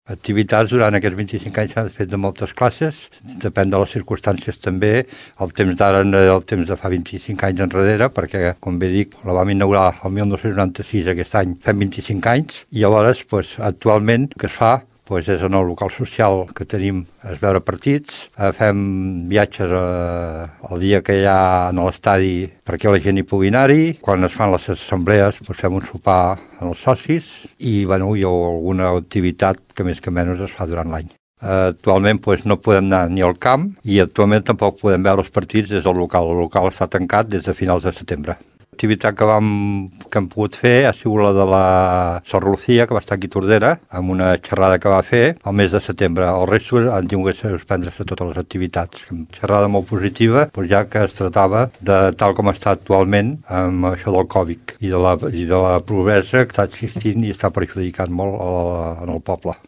Activitats durant aquests 25 anys s'han fet de moltes classes, depèn de les circumstàncies també. El temps d'ara no era el temps de fa 25 anys enrere, perquè, com bé dic, la vam inaugurar el 1996, aquest any fem 25 anys, i llavors, actualment, el que es fa és en el local social que tenim és veure partits, fem viatges el dia que hi ha en l'estadi perquè la gent hi pugui anar-hi, quan es fan les assemblees fem un sopar amb els socis i hi ha alguna activitat que més que menys es fa durant l'any. Actualment no podem anar ni al camp i actualment tampoc podem veure els partits des del local. El local està tancat des de finals de setembre. L'activitat que hem pogut fer ha sigut la de la Sor Lucía, que va estar aquí a Tordera, amb una xerrada que va fer al mes de setembre. El resto han tingut que suspendre-se totes les activitats. Una xerrada molt positiva, ja que es tractava de tal com està actualment amb això del Covid i de la pobresa que està existint i està perjudicant molt en el poble.